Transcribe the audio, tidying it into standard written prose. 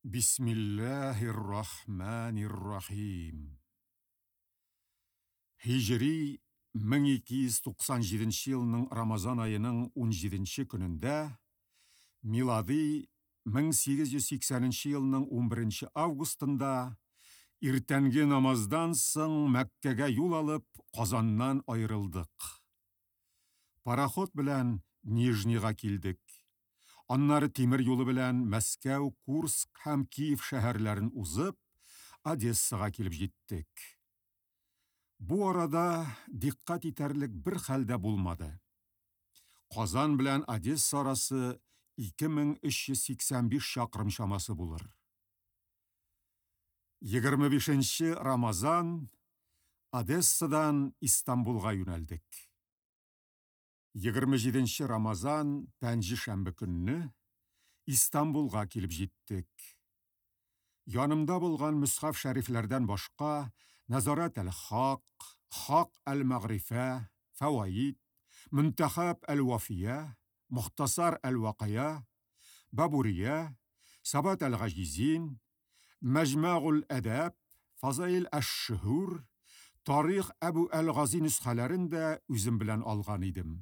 Бисмиллаһир-рахманир-рахим. Һиҗри 1297 елның Рамазан аеның 17 көнендә, милади 1880 елның 11 августында иртәнге намаздан соң Мәккәгә юл алып, Казаннан аерылдык. Пароход белән Нижнийга килдек. Аннары тимер юлы белән Мәскәү, Курск һәм Киев шәһәрләрен узып, Одессага килеп җиттек. Бу арада дикъкать итәрлек бер хәл дә булмады. Казан белән Одесса арасы 2385 чакрым чамасы булыр. 25 Рамазан Одессадан Истанбулга юнәлдек. 27 Рамазан пәнҗешәмбе көнне Истанбулга килеп җиттек. Янымда булган мөсхәф шәрифләрдән башка Нәзарәт әл-Хак, Хак әл-Мәгърифә, Фәваид, Мөнтәхәб әл-Вафия, Мохтасар әл-Вакая, Бабурия, Сабат әл-Гаҗизин, Мәҗмәгул әдәб, Фазаил әш-Шөһүр, Тарих Әбү әл-Гази нөсхәләрен дә үзем белән алган идем.